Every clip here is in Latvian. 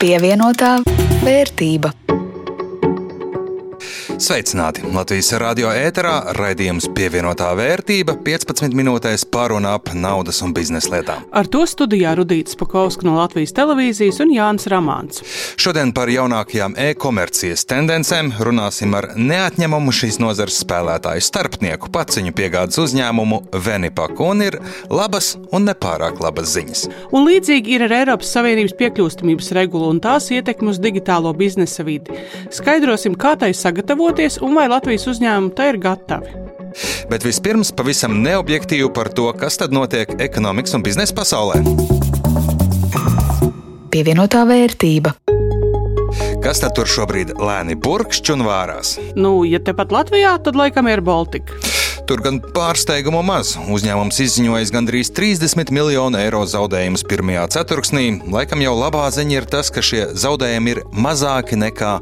Pievienotā vērtība. Sveicināti! Latvijas radio ēterā raidījums Pievienotā vērtība 15 minūtēs par un ap naudas un biznesa lietām. Ar to studijā Rudīta Spakovska no Latvijas televīzijas un Jānis Ramāns. Šodien par jaunākajām e-komercijas tendencēm runāsim ar neatņemumu šīs nozares spēlētāju starpnieku paciņu piegādes uzņēmumu Venipaku, un ir labas un nepārāk labas ziņas. Un līdzīgi ir ar Eiropas Savienības piekļūstamības regulu un tās ietekmi uz digitālo biznesa vidi. Skaidrosim, kā tai sagatavoties un vai Latvijas uzņēmumi tai ir gatavi. Bet vispirms pavisam neobjektīvi par to, kas tad notiek ekonomikas un biznesa pasaulē. Pievienotā vērtība. Kas tad tur šobrīd lēni burkšķ un vārās? Ja tepat Latvijā, tad laikam ir Baltika. Tur gan pārsteigumu maz. Uzņēmums izziņojis gandrīz 30 miljonu eiro zaudējumus pirmajā ceturksnī. Laikam jau labā ziņa ir tas, ka šie zaudējumi ir mazāki nekā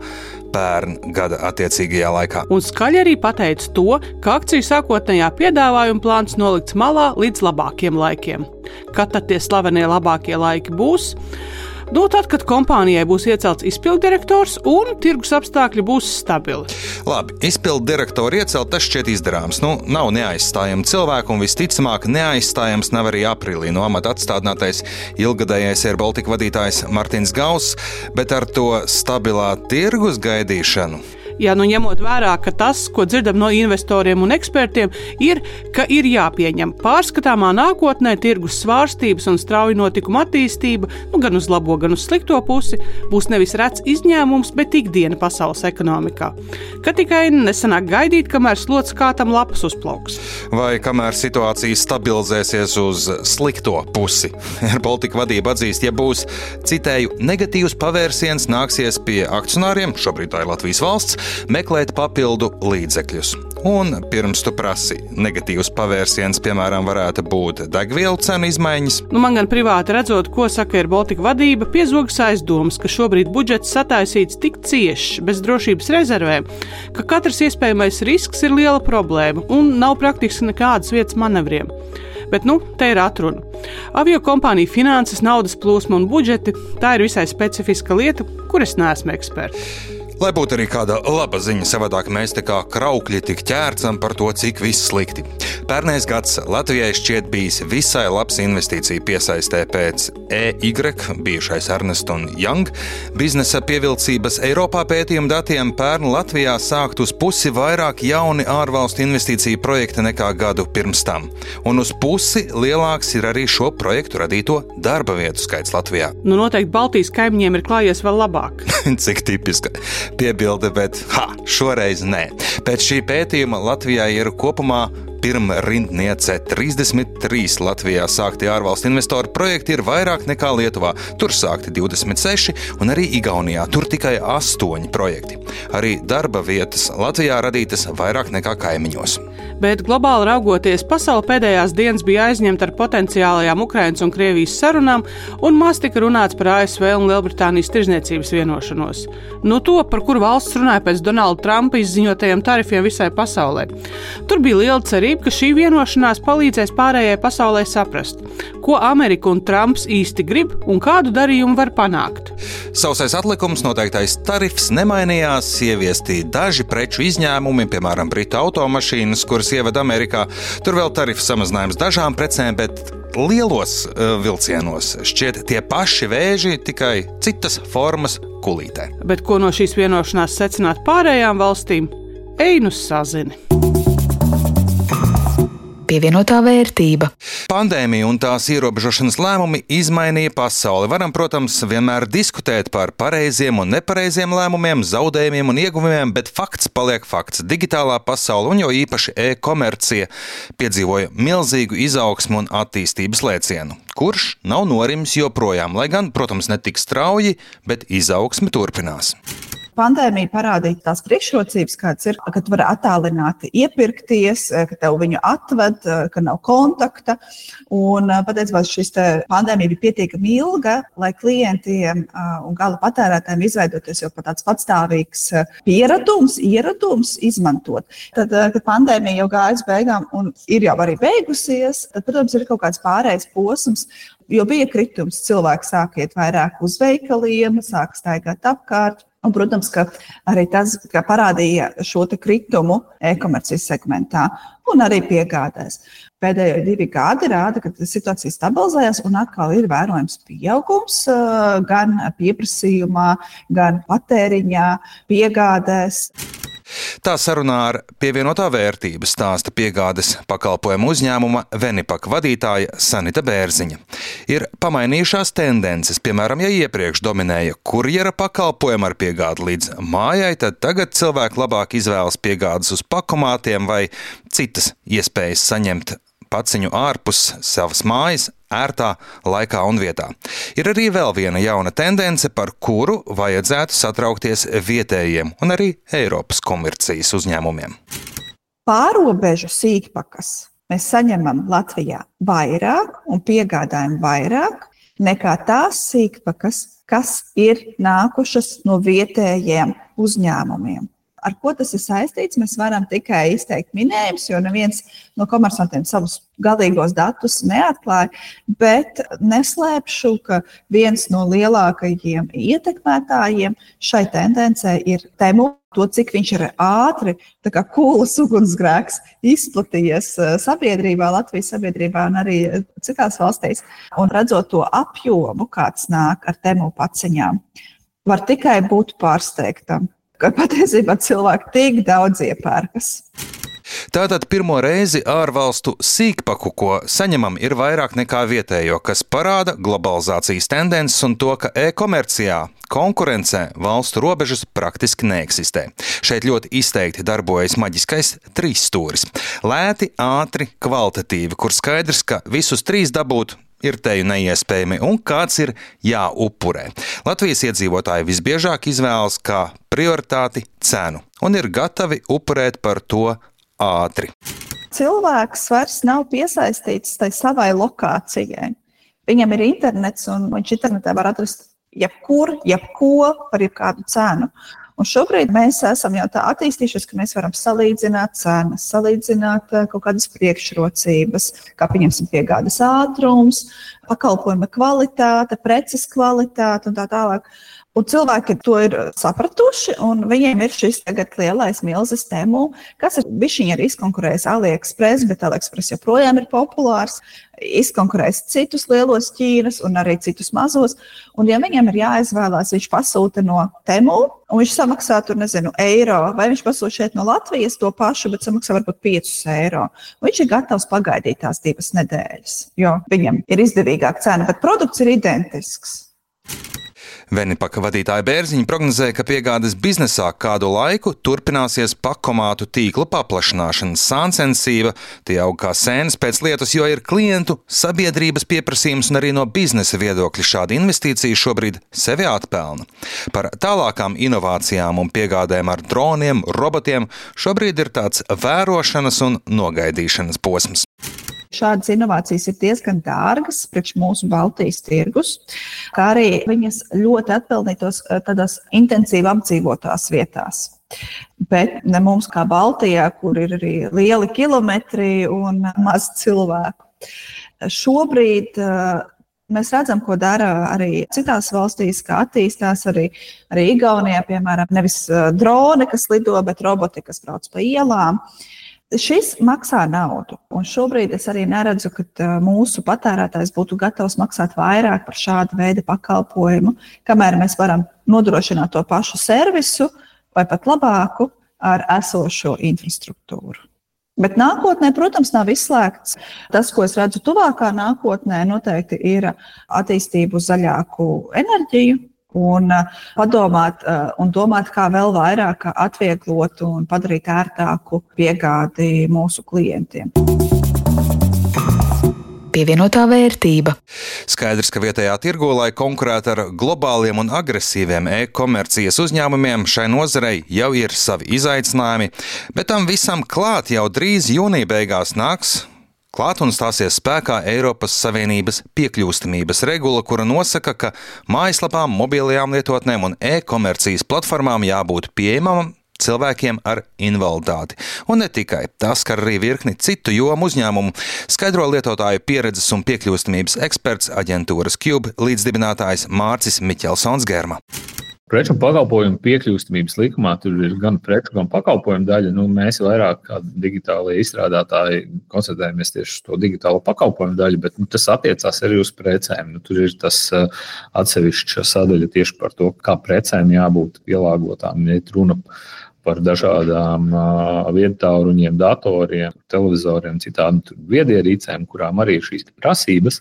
pērn gada attiecīgajā laikā. Un skaļi arī pateica to, ka akciju sākotnējā piedāvājuma plāns nolikts malā līdz labākiem laikiem. Kad tad tie slavenie labākie laiki būs? Tad, kad kompānijai būs iecelts izpilddirektors un tirgus apstākļi būs stabili. Labi, izpilddirektoru iecelt, tas šķiet izdarāms. Nav neaizstājama cilvēku un visticamāk neaizstājams nav arī aprīlī no amata atstādinātais ilgadējais Air Baltica vadītājs Martins Gauss, bet ar to stabilā tirgus gaidīšanu. Ņemot vērā, ka tas, ko dzirdam no investoriem un ekspertiem, ir, ka ir jāpieņem pārskatāmā nākotnē tirgus svārstības un strauja notikuma attīstība, gan uz labo, gan uz slikto pusi, būs nevis rets izņēmums, bet ikdiena pasaules ekonomikā. Ka tikai nesanāk gaidīt, kamēr slots kātam lapas uzplauks. Vai kamēr situācija stabilizēsies uz slikto pusi. Air Baltica vadība atzīst, ja būs, citēju, negatīvs pavērsiens, nāksies pie akcionāriem, šobrīd tā ir Latvijas valsts, meklēt papildu līdzekļus. Un pirms tu prasi, negatīvs pavērsiens, piemēram, varētu būt degvielu cenu izmaiņas. Man gan privāti redzot, ko saka Air Baltica vadība, piezogas aizdomas, ka šobrīd budžets sataisīts tik ciešs, bez drošības rezervēm, ka katrs iespējamais risks ir liela problēma un nav praktiski nekādas vietas manevriem. Bet, te ir atruna. Avio kompāniju finanses, naudas plūsma un budžeti – tā ir visai specifiska lieta, kur es neesmu eksperts. Lai būtu arī kāda laba ziņa, savādāk mēs te kā kraukļi tik ķērcam par to, cik viss slikti. Pērnais gads Latvijai šķiet bijis visai labs investīcija piesaistē pēc EY, bijušais Ernst & Young, biznesa pievilcības Eiropā pētījuma datiem pērn Latvijā sākt uz pusi vairāk jauni ārvalstu investīciju projekti nekā gadu pirms tam. Un uz pusi lielāks ir arī šo projektu radīto darba vietu skaits Latvijā. Noteikti Baltijas kaimiņiem ir klājies vēl labāk. Cik tipiska piebilde, bet šoreiz nē. Pēc šī pētījuma Latvijā ir kopumā pirmā rindniece 33 Latvijā sākti ārvalstu investoru projekti ir vairāk nekā Lietuvā. Tur sākti 26 un arī Igaunijā. Tur tikai 8 projekti. Arī darba vietas Latvijā radītas vairāk nekā kaimiņos. Bet globāli raugoties, pasaule pēdējās dienas bija aizņemta ar potenciālajām Ukrainas un Krievijas sarunām, un maz tika runāts par ASV un Lielbritānijas tirzniecības vienošanos. To, par kuru valsts runāja pēc Donalda Trumpa izziņotajiem tarifiem visai pasaulē. Tur bija liela cerība, ka šī vienošanās palīdzēs pārējai pasaulē saprast, ko Amerika un Trumps īsti grib un kādu darījumu var panākt. Sausais atlikums, noteiktais tarifs nemainījās, ieviesti daži preču izņēmumi, piemēram, britu automašīnas, kuras ievada Amerikā. Tur vēl tarifu samazinājums dažām precēm, bet lielos vilcienos šķiet tie paši vēži, tikai citas formas kulītē. Bet ko no šīs vienošanās secināt pārējām valstīm? Ej nu sazini. Pievienotā vērtība. Pandēmija un tās ierobežošanas lēmumi izmainīja pasauli. Varam, protams, vienmēr diskutēt par pareiziem un nepareiziem lēmumiem, zaudējumiem un ieguvumiem, bet fakts paliek fakts. Digitālā pasaule un jo īpaši e-komercija piedzīvoja milzīgu izaugsmu un attīstības lēcienu, kurš nav norimis joprojām, lai gan, protams, ne tik strauji, bet izaugsme turpinās. Pandēmija parādīja tās priekšrocības, kādas ir, ka tu vari attālināti iepirkties, ka tev viņu atved, ka nav kontakta. Un patiesībā šis pandēmija bija pietiekami ilga, lai klientiem un gala patērētājiem izveidoties jau tāds patstāvīgs ieradums izmantot. Tad, kad pandēmija jau gājas beigām un ir jau arī beigusies, tad, protams, ir kaut kāds pārējais posms, jo bija kritums, cilvēki sāk iet vairāk uz veikaliem, sāk staigāt apkārt. Un, protams, ka arī tas parādīja šo kritumu e-komercijas segmentā un arī piegādēs. Pēdējo 2 gadi rāda, ka situācija stabilizējas un atkal ir vērojams pieaugums gan pieprasījumā, gan patēriņā, piegādēs. Tā sarunā ar pievienotā vērtība stāsta piegādes pakalpojumu uzņēmuma Venipak vadītāja Sanita Bērziņa. Ir pamainījušās tendences, piemēram, ja iepriekš dominēja kurjera pakalpojumu ar piegādi līdz mājai, tad tagad cilvēki labāk izvēlas piegādes uz pakomātiem vai citas iespējas saņemt paciņu ārpus savas mājas, ērtā laikā un vietā. Ir arī vēl viena jauna tendence, par kuru vajadzētu satraukties vietējiem un arī Eiropas komercijas uzņēmumiem. Pārobežu sīkpakas mēs saņemam Latvijā vairāk un piegādājam vairāk nekā tās sīkpakas, kas ir nākušas no vietējiem uzņēmumiem. Ar ko tas ir saistīts, mēs varam tikai izteikt minējumus, jo neviens no komersantiem savus galīgos datus neatklāja, bet neslēpšu, ka viens no lielākajiem ietekmētājiem šai tendencē ir Temu. To, cik viņš ir ātri, tā kā kūlas ugunsgrēks izplatījies sabiedrībā, Latvijas sabiedrībā un arī citās valstīs. Un redzot to apjomu, kāds nāk ar Temu paciņām, var tikai būt pārsteigtam, ka patiesībā cilvēki tik daudz iepērkas. Tātad pirmo reizi ārvalstu sīkpaku, ko saņemam, ir vairāk nekā vietējo, kas parāda globalizācijas tendences un to, ka e-komercijā konkurencē valstu robežas praktiski neeksistē. Šeit ļoti izteikti darbojas maģiskais trīsstūris. Lēti, ātri, kvalitatīvi, kur skaidrs, ka visus 3 dabūt ir teju neiespējami un kāds ir jāupurē. Latvijas iedzīvotāji visbiežāk izvēlas kā prioritāti cenu un ir gatavi upurēt par to ātri. Cilvēks vairs nav piesaistīts tai savai lokācijai. Viņam ir internets un viņš internetā var atrast jebkur, jebko par jebkādu cenu. Un šobrīd mēs esam jau tā attīstījušies, ka mēs varam salīdzināt cenas, salīdzināt kaut kādas priekšrocības, kā pieņemsim piegādes ātrums, pakalpojuma kvalitāte, preces kvalitāte un tā tālāk. Un cilvēki to ir sapratuši, un viņiem ir šis tagad lielais milzes Temu, kas ir bišķiņi arī izkonkurējis AliExpress, bet AliExpress joprojām ir populārs, izkonkurējis citus lielos Ķīnas un arī citus mazos. Un ja viņam ir jāizvēlās, viņš pasūta no Temu, un viņš samaksā tur, eiro, vai viņš pasūta šeit no Latvijas to pašu, bet samaksā varbūt 5 eiro. Viņš ir gatavs pagaidīt tās 2 nedēļas, jo viņam ir izdevīgāka cena, bet produkts ir identisks. Venipaka vadītāja Bērziņa prognozē, ka piegādes biznesā kādu laiku turpināsies pakomātu tīklu paplašināšanas sāncensība, tie aug kā sēnes pēc lietus, jo ir klientu, sabiedrības pieprasījums un arī no biznesa viedokļa šāda investīcija šobrīd sevi atpelna. Par tālākām inovācijām un piegādēm ar droniem, robotiem šobrīd ir tāds vērošanas un nogaidīšanas posms. Šādas inovācijas ir diezgan dārgas priekš mūsu Baltijas tirgus, kā arī viņas ļoti atpelnītos tādās intensīvi apdzīvotās vietās. Bet ne mums kā Baltijā, kur ir arī lieli kilometri un maz cilvēku. Šobrīd mēs redzam, ko dara arī citās valstīs, kā attīstās arī Igaunijā, piemēram, nevis droni, kas lido, bet roboti, kas brauc pa ielām. Šis maksā naudu, un šobrīd es arī neredzu, ka mūsu patērētājs būtu gatavs maksāt vairāk par šādu veidu pakalpojumu, kamēr mēs varam nodrošināt to pašu servisu vai pat labāku ar esošo infrastruktūru. Bet nākotnē, protams, nav izslēgts. Tas, ko es redzu tuvākā nākotnē, noteikti ir attīstība uz zaļāku enerģiju. Un padomāt un domāt, kā vēl vairāk atvieglot un padarīt ērtāku piegādi mūsu klientiem. Pievienotā vērtība. Skaidrs, ka vietējā tirgū, lai konkurētu ar globāliem un agresīviem e-komercijas uzņēmumiem, šai nozarei jau ir savi izaicinājumi, bet tam visam klāt jau drīz jūnija beigās nāks klāt un stāsies spēkā Eiropas Savienības piekļūstamības regula, kura nosaka, ka mājaslapām, mobilajām lietotnēm un e-komercijas platformām jābūt pieejamam cilvēkiem ar invaliditāti. Un ne tikai, tas skar arī virkni citu jomu uzņēmumu, skaidro lietotāju pieredzes un piekļūstamības eksperts aģentūras Cube līdzdibinātājs Mārcis Miķelsons Germa. Preču un pakalpojumu piekļūstamības likumā tur ir gan preču, gan pakalpojumu daļa. Mēs vairāk kā digitālie izstrādātāji koncentrējamies tieši uz to digitālo pakalpojumu daļu, bet tas attiecās arī uz precēm. Tur ir tas atsevišķa sadaļa tieši par to, kā precēm jābūt pielāgotām. Ja runa par dažādām viedtāluruņiem, datoriem, televizoriem, citām viedierīcēm, kurām arī ir šīs prasības,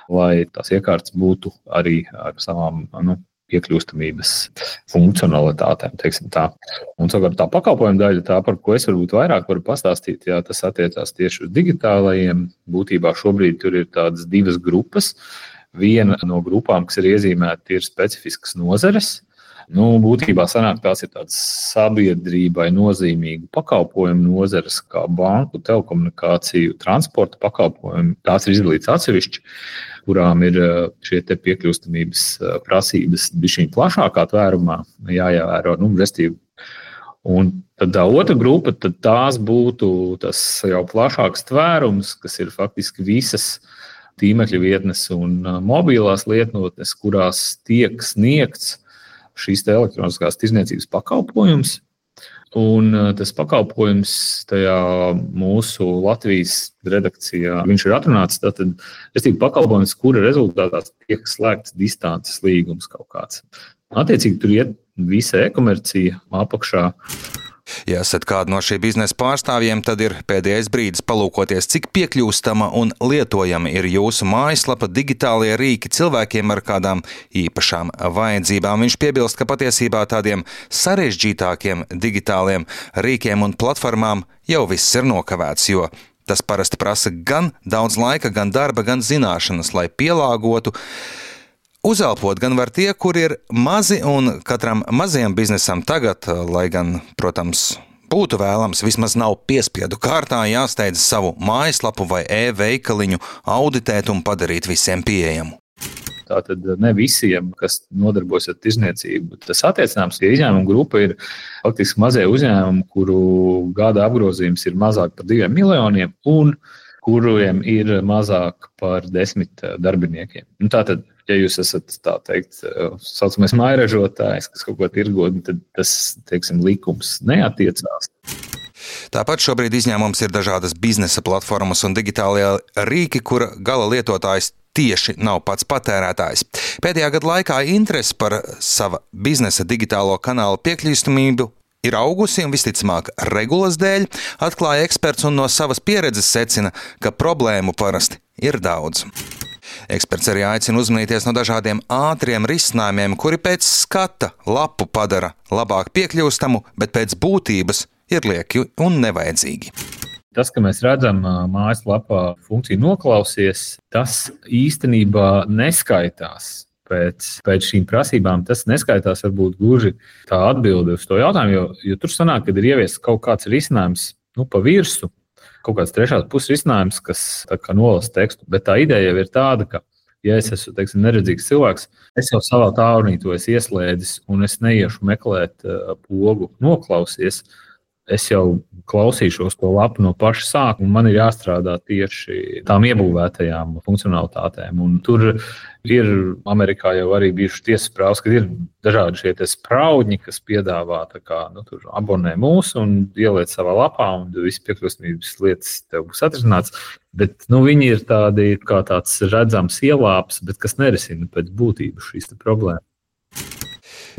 lai tās iekārtas būtu arī ar savām piekļūstamības funkcionalitātēm, teiksim tā. Un savukārt tā pakalpojuma daļa, tā, par ko es varbūt vairāk varu pastāstīt, jā, tas attiecās tieši uz digitālajiem. Būtībā šobrīd tur ir tādas divas grupas. Viena no grupām, kas ir iezīmēta, ir specifiskas nozares. Būtībā sanāk, tās ir tādas sabiedrībai nozīmīgu pakalpojumu nozares, kā banku, telekomunikāciju, transporta pakalpojumu. Tās ir izdalīts atsevišķi, kurām ir šie te piekļūstamības prasības bišķiņ plašākā tvērumā jāievēro, restīvi. Un tad tā otra grupa, tad tās būtu tas jau plašāks tvērums, kas ir faktiski visas tīmekļa vietnes un mobilās lietotnes, kurās tiek sniegts šīs elektroniskās tirdzniecības pakalpojums. Un tas pakalpojums tajā mūsu Latvijas redakcijā, viņš ir atrunāts, tātad pakalpojums, kura rezultātā tiek slēgts distances līgums kaut kāds. Attiecīgi tur iet visa e-komercija apakšā. Ja esat kādu no šī biznesa pārstāvjiem, tad ir pēdējais brīdis palūkoties, cik piekļūstama un lietojama ir jūsu mājaslapa, digitālie rīki cilvēkiem ar kādām īpašām vajadzībām. Viņš piebilst, ka patiesībā tādiem sarežģītākiem digitāliem rīkiem un platformām jau viss ir nokavēts, jo tas parasti prasa gan daudz laika, gan darba, gan zināšanas, lai pielāgotu. Uzelpot gan var tie, kur ir mazi, un katram mazajam biznesam tagad, lai gan, protams, būtu vēlams, vismaz nav piespiedu kārtā jāsteidz savu mājaslapu vai e-veikaliņu auditēt un padarīt visiem pieejamu. Tātad ne visiem, kas nodarbojas ar tirdzniecību, tas attiecināms, ja izņēmuma grupa ir faktiski mazie uzņēmumi, kuru gada apgrozījums ir mazāk par 2 miljoniem un kuriem ir mazāk par 10 darbiniekiem. Tātad, ja jūs esat, tā teikt, saucamais mājražotājs, kas kaut ko tirgo, tad tas, teiksim, likums neatiecās. Tāpat šobrīd izņēmums ir dažādas biznesa platformas un digitālie rīki, kura gala lietotājs tieši nav pats patērētājs. Pēdējā gada laikā interese par sava biznesa digitālo kanālu piekļūstamību ir augusi un visticamāk regulas dēļ, atklāja eksperts un no savas pieredzes secina, ka problēmu parasti ir daudz. Eksperts arī aicina uzmanīties no dažādiem ātriem risinājumiem, kuri pēc skata lapu padara labāk piekļūstamu, bet pēc būtības ir lieki un nevajadzīgi. Tas, ka mēs redzam mājaslapā funkciju noklausies, tas īstenībā neskaitās. Pēc šīm prasībām tas neskaitās varbūt gluži tā atbilde uz to jautājumu, jo tur sanāk, kad ir ieviests kaut kāds risinājums pa virsu, kaut kāds trešās puses risinājums, kas tā kā nolasa tekstu, bet tā ideja jau ir tāda, ka, ja es esmu, teiksim, neredzīgs cilvēks, es jau savā tālrunī to esmu ieslēdzis un es neiešu meklēt pogu noklausies, es jau klausīšos to lapu no paša sākuma, un man ir jāstrādā tieši tām iebūvētajām funkcionalitātēm. Un tur ir Amerikā jau arī bijuši tiesas prāvas, kad ir dažādi šie spraudņi, kas piedāvā tur abonē mūs un ieliec savā lapā, un visi piekļūstamības lietas tev būs atrisināts. Bet viņi ir tādi kā tāds redzams ielāps, bet kas nerisina pēc būtības šīs problēmas.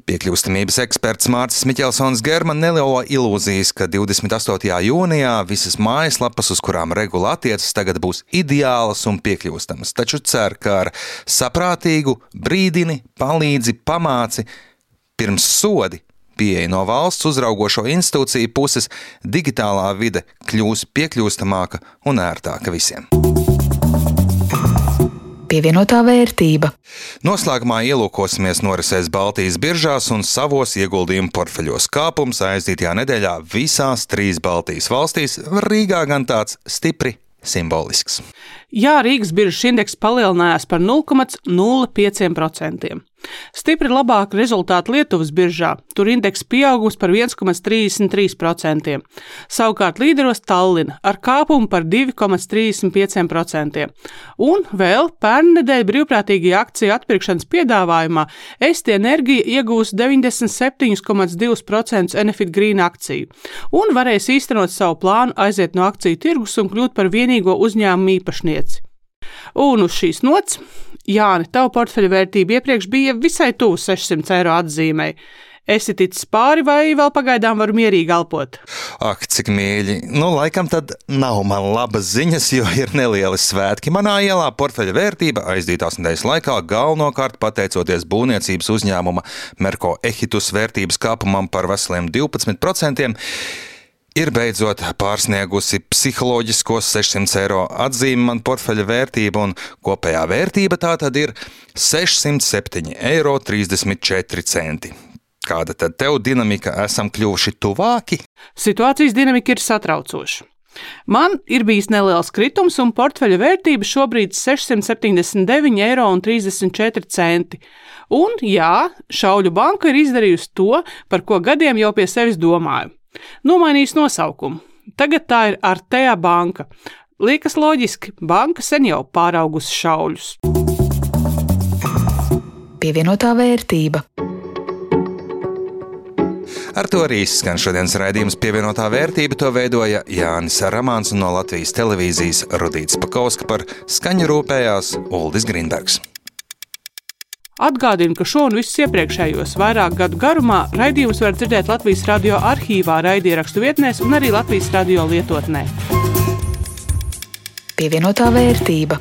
Piekļūstamības eksperts Mārcis Miķelsons Germa nelielo ilūzijas, ka 28. jūnijā visas mājaslapas, uz kurām regula attiecas, tagad būs ideālas un piekļūstamas. Taču cer, ka ar saprātīgu brīdini, palīdzi, pamāci, pirms sodi pieeja no valsts uzraugošo institūciju puses, digitālā vide kļūs piekļūstamāka un ērtāka visiem. Pievienotā vērtība. Noslēgumā ielūkosimies norisēs Baltijas biržās un savos ieguldījumu portfeļos. Kāpums aizdītajā nedēļā visās 3 Baltijas valstīs, Rīgā gan tāds stipri simbolisks. Jā, Rīgas biržas indeks palielinājās par 0,05%. Stipri labāk rezultāti Lietuvas biržā. Tur indeks pieaugums par 1,33%. Savukārt līderos Tallina ar kāpumu par 2,35%. Un vēl pērnnedēļ brīvprātīgajā akciju atpirkšanas piedāvājumā Esti Enerģija iegūs 97,2% Enefit Green akciju un varēs īstenot savu plānu aiziet no akciju tirgus un kļūt par vienīgo uzņēmumu īpašnieci. Un uz šīs nots, Jāni, tava portfeļa vērtība iepriekš bija visai tuvu 600 eiro atzīmei. Esi ticis pāri vai vēl pagaidām varu mierīgi elpot? Ak, cik mīļi. Laikam tad nav man labas ziņas, jo ir nelieli svētki. Manā ielā portfeļa vērtība aizdītās nedēļas laikā galvenokārt pateicoties būvniecības uzņēmuma Merko Ehitus vērtības kāpumam par veseliem 12%. Ir beidzot pārsniegusi psiholoģiskos 600 eiro atzīmi man portfeļa vērtība, un kopējā vērtība tā tad ir 607,34 eiro. Kāda tad tev dinamika? Esam kļuvuši tuvāki? Situācijas dinamika ir satraucoša. Man ir bijis neliels kritums, un portfeļa vērtība šobrīd ir 679,34 eiro. Un jā, Šauļu banka ir izdarījusi to, par ko gadiem jau pie sevis domāju. Nomainījis nosaukumu. Tagad tā ir Artea banka. Liekas loģiski, banka sen jau pāraugusi Šauļus. Pievienotā vērtība. Ar to arī izskan šodienas raidījums Pievienotā vērtība. To veidoja Jānis Ramāns un no Latvijas televīzijas Rudīts Pakauska, par skaņu rūpējās Uldis Grīnbergs. Atgādinu, ka šo un visus iepriekšējos vairāk gadu garumā raidījumus var dzirdēt Latvijas radio arhīvā, raidierakstu vietnēs un arī Latvijas radio lietotnē. Pievienotā vērtība.